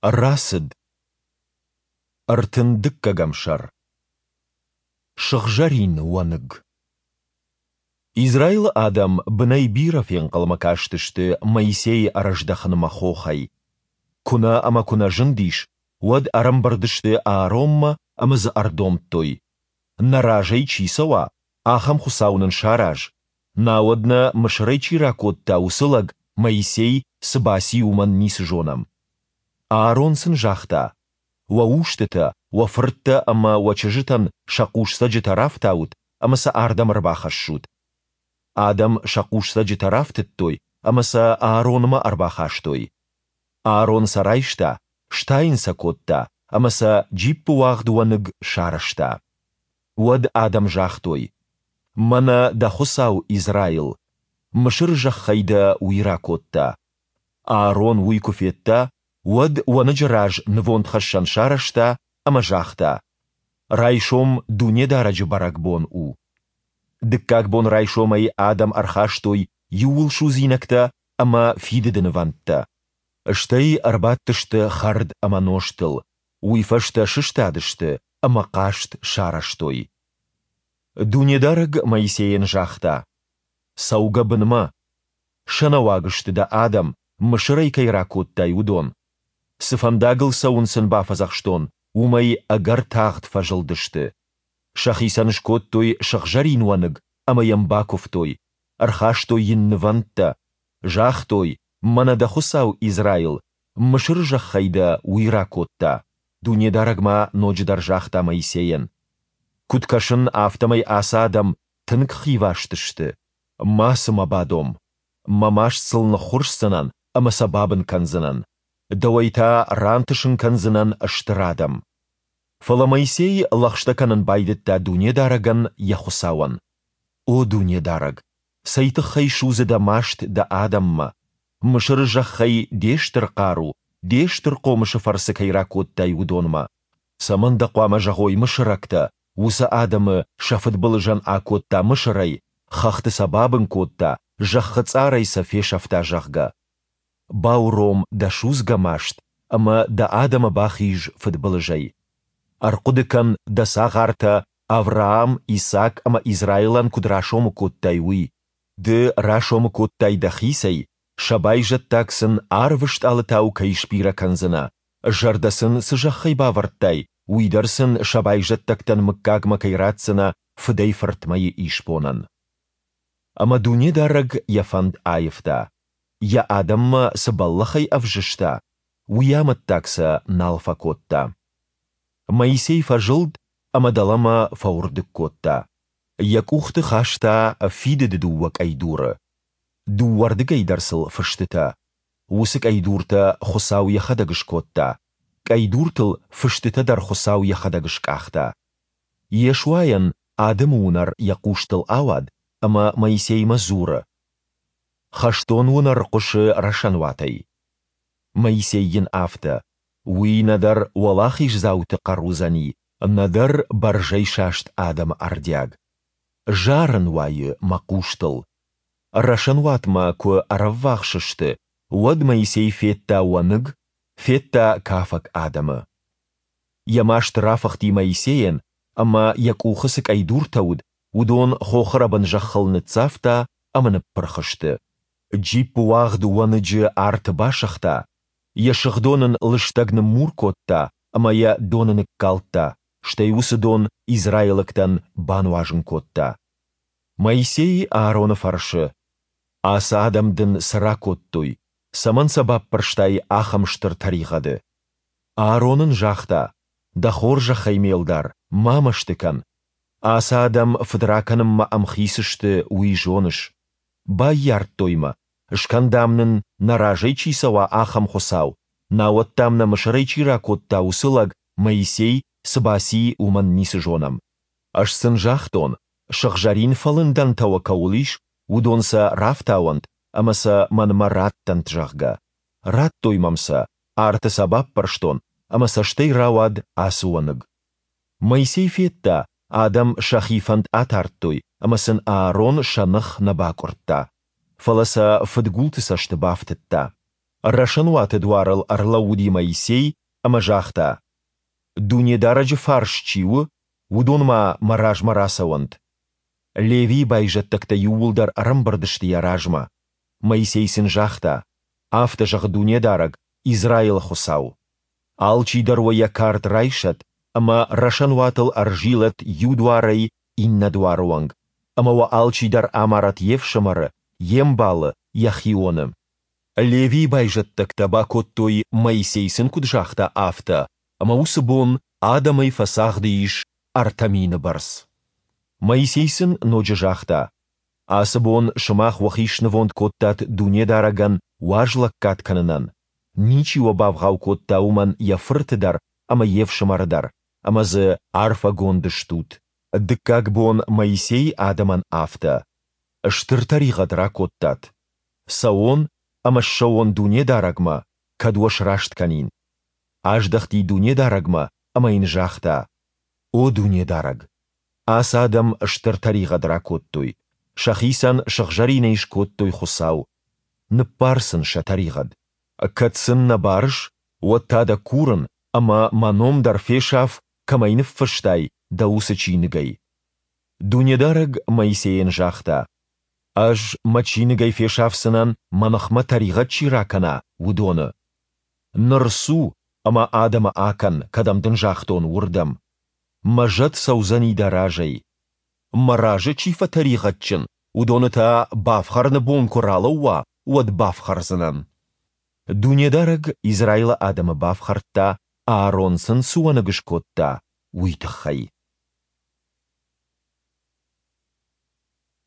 Рацыд. 32-ӕм сӕр. Сыгъзӕрин уӕныг. Израилы адӕм бынӕй бирӕ фенхъӕлмӕ кастысты Моисейы ӕрӕздӕхынмӕ хохӕй. Куы нӕ ӕмӕ куы нӕ зындис, уӕд ӕрӕмбырд сты Ааронмӕ ӕмӕ дзы ӕрдомдтой, Нӕ разӕй чи цӕуа, ахӕм хуыцау нын сараз, науӕд нӕ Мысырӕй чи ракодта, уыцы лӕг, Моисей, цы баци, уымӕн ницы зонӕм. Аарон сын загъта, Уӕ устытӕ, уӕ фырттӕ ӕмӕ уӕ чызджытӕн сӕ хъусцӕджытӕ рафтаут ӕмӕ сӕ ардӕм ӕрбахӕссут. Адӕм сӕ хъусцӕджытӕ рафтыдтой ӕмӕ сӕ Ааронмӕ ӕрбахастой. Аарон сӕ райста, стайын сӕ кодта ӕмӕ сӕ джиппыуагъд уӕныг сарӕзта. Уӕд адӕм загътой, Мӕнӕ дӕ Хуыцау, Израил! Мысыры зӕххӕй дӕ уый ракодта. Аарон уый куы федта, уӕд уӕныджы раз нывондхӕссӕн сарӕзта ӕмӕ загъта, Райсом Дунедарӕджы бӕрӕгбон у. Дыккаг бон райсомӕй адӕм ӕрхастой иууылсудзинӕгтӕ ӕмӕ фидыды нывӕндтӕ. Стӕй ӕрбадтысты хӕрд ӕмӕ нозтыл, уый фӕстӕ сыстадысты ӕмӕ хъазт сарӕзтой. Дунедарӕг Моисейӕн загъта, Цӕугӕ бынмӕ. Сӕнӕуаг сты дӕ адӕм, Мысырӕй кӕй ракодтай, уыдон. Цы фӕндагыл цӕуын сын бафӕдзӕхстон, уымӕй ӕгӕр тагъд фӕзылдысты. Сӕхицӕн скодтой сыгъзӕрин уӕныг ӕмӕ йӕм бакуывтой, ӕрхастой йын нывӕндтӕ, загътой, Мӕнӕ дӕ Хуыцау, Израил, Мысыры зӕххӕй дӕ Уый ракодта. Дунедарӕг ма ноджыдӕр загъта Моисейӕн, Куыд кӕсын, афтӕмӕй ацы адӕм тынг хиваст сты. Мацы мӕ бадом. Мӕ маст сыл ныххуырсдзынӕн ӕмӕ сӕ бабын кӕндзынӕн. Дӕуӕй та рантысын кӕндзынӕн стыр адӕм. Фӕлӕ Моисей лӕгъстӕ кӕнын байдыдта Дунедарӕгӕн, йӕ Хуыцауӕн. О Дунедарӕг, цӕй тыххӕй судзы дӕ маст дӕ адӕммӕ, Мысыры зӕххӕй де стыр хъару, де стыр хъомысы фӕрцы кӕй ракодтай, уыдонмӕ? Цӕмӕн дӕ хъуамӕ зӕгъой мысырӕгтӕ, уыцы адӕмы сӕ фыдбылызӕн акодта Мысырӕй, хӕхты сӕ бабын кодта, зӕххы цъарӕй сӕ фесӕфта, зӕгъгӕ? Бауром дӕ судзгӕ маст ӕмӕ дӕ адӕмы бахиз фыдбылызӕй. Ӕрхъуыды кӕн, дӕ цагъартӕ Авраам, Исаак ӕмӕ Израилӕн куыд расомы кодтай, уый. Ды расомы кодтай дӕхицӕй, сӕ байзӕддаг сын арвы стъалытау кӕй сбирӕ кӕндзынӕ, зӕрдӕ сын цы зӕххӕй бавӕрдтай, уый дӕр сын сӕ байзӕддӕгтӕн мыггагмӕ кӕй ратдзынӕ фыдӕй-фыртмӕйы исбонӕн. Ӕмӕ Дунедарӕг йӕ фӕнд аивта. Йӕ адӕммӕ цы бӕллӕхӕй ӕвзыста, уый амӕттаг сӕ нал фӕкодта. Моисей фӕзылд ӕмӕ дӕлӕмӕ фӕуырдыг кодта. Йӕ къухты хаста фидыды дыууӕ къӕйдуры. Дыууӕрдыгӕй дӕр сыл фыстытӕ. Уыцы къӕйдуртӕ Хуыцау йӕхӕдӕг скодта, къӕйдуртыл фыстытӕ дӕр Хуыцау йӕхӕдӕг скъахта. Йешуайӕн адӕмы уынӕр йӕ хъустыл ауад ӕмӕ Моисеймӕ дзуры, Хӕстон уынӕр хъуысы рӕсӕнуатӕй. Моисей йын афтӕ, Уый нӕдӕр уӕлахиздзауты хъӕр уыдзӕни, нӕдӕр бӕрзӕйсаст адӕмы ӕрдиаг. Зарын уайы мӕ хъустыл. Рӕсӕнуатмӕ куы ӕрӕввахс сты, уӕд Моисей федта уӕныг, федта кафӕг адӕмы. Йӕ маст рафыхти Моисейӕн, ӕмӕ, йӕ къухы цы къӕйдуртӕ уыд, уыдон хохы рӕбын зӕххыл ныццавта ӕмӕ ныппырх сты. Джиппы уагъд уӕныджы арты басыгъта, йӕ сыгъдон ын лыстӕг ныммур кодта ӕмӕ йӕ доны ныккалдта, стӕй уыцы дон израилӕгтӕн бануазын кодта. Моисей Аароны фӕрсы, Ацы адӕм дын цы ракодтой, цӕмӕн сӕ баппӕрстай ахӕм стыр тӕригъӕды? Аарон ын загъта, Дӕ хорзӕхӕй, ме лдар, ма мӕсты кӕн. Ацы адӕм фыд ракӕнынмӕ ӕмхиц сты, уый зоныс. Баййардтой мӕ, скӕн, дам, нын, нӕ разӕй чи цӕуа, ахӕм хуыцау, науӕд, дам, нӕ Мысырӕй чи ракодта, уыцы лӕг, Моисей, цы баци, уымӕн ницы зонӕм. Ӕз сын загътон, сыгъзӕрин фӕлындӕнтӕ уӕ кӕуыл ис, уыдон сӕ рафтауӕнт ӕмӕ сӕ мӕнмӕ раттӕнт, зӕгъгӕ. Радтой мӕм сӕ, арты сӕ баппӕрстон, ӕмӕ сӕ стӕй рауад ацы уӕныг. Моисей федта, адӕм сӕхи фӕнд атардтой, ӕмӕ сын Аарон сӕ ных нӕ бакъуырдта, фӕлӕ сӕ фыдгулты цӕсты бафтыдта. Рӕсӕнуаты дуарыл ӕрлӕууыди Моисей ӕмӕ загъта, Дунедарӕджы фарс чи у, уыдон-ма мӕ размӕ рацӕуӕнт. Левийы байзӕддӕгтӕ иууылдӕр ӕрӕмбырд сты йӕ размӕ. Моисей сын загъта, Афтӕ зӕгъы Дунедарӕг, Израилы Хуыцау! Алчидӕр уӕ йӕ кард райсӕд ӕмӕ рӕсӕнуатыл ӕрзилӕд иу дуарӕй иннӕ дуары онг, ӕмӕ уӕ алчидӕр амарӕд йе фсымӕры, йе мбалы, йӕ хионы. Левийы байзӕддӕгтӕ бакодтой, Моисей сын куыд загъта, афтӕ, ӕмӕ уыцы бон адӕмӕй фӕцагъды ис 3000 бӕрц. Моисей сын ноджы загъта, Ацы бон сымах уӕхи снывонд кодтат Дунедарӕгӕн уаз лӕггад кӕнынӕн. Ничи уӕ бавгъау кодта уымӕн йӕ фырты дӕр ӕмӕ йе фсымӕры дӕр, ӕмӕ дзы арфӕгонд стут. Дыккаг бон Моисей адӕмӕн афтӕ, Стыр тӕригъӕд ракодтат. Цӕуон ӕмӕ ссӕуон Дунедарӕгмӕ, кӕд уӕ сраст кӕнин. Аздӕхти Дунедарӕгмӕ ӕмӕ Йын загъта, О Дунедарӕг! Ацы адӕм стыр тӕригъӕд ракодтой, сӕхицӕн сыгъзӕринӕй скодтой хуыцау. Ныббар сын сӕ тӕригъӕд. Кӕд сын нӕ барыс, уӕд та дӕ курын, ӕмӕ мӕ ном дӕр фесаф, кӕм ӕй ныффыстай, дӕ уыцы чиныгӕй. Дунедарӕг Моисейӕн загъта, Ӕз мӕ чиныгӕй фесафдзынӕн, мӕ ныхмӕ тӕригъӕд чи ракӕна, уыдоны. Ныр цу, ӕмӕ адӕмы акӕн, кӕдӕм дын загътон, уырдӕм. Мӕ зӕд цӕудзӕни дӕ разӕй. Мӕ разы чи фӕтӕригъӕдджын, уыдоны та, бафхӕрыны бон куы ралӕууа, уӕд бафхӕрдзынӕн. Дунедарӕг Израилы адӕмы бафхӕрдта, Аарон сын цы уӕныг скодта, уый тыххӕй.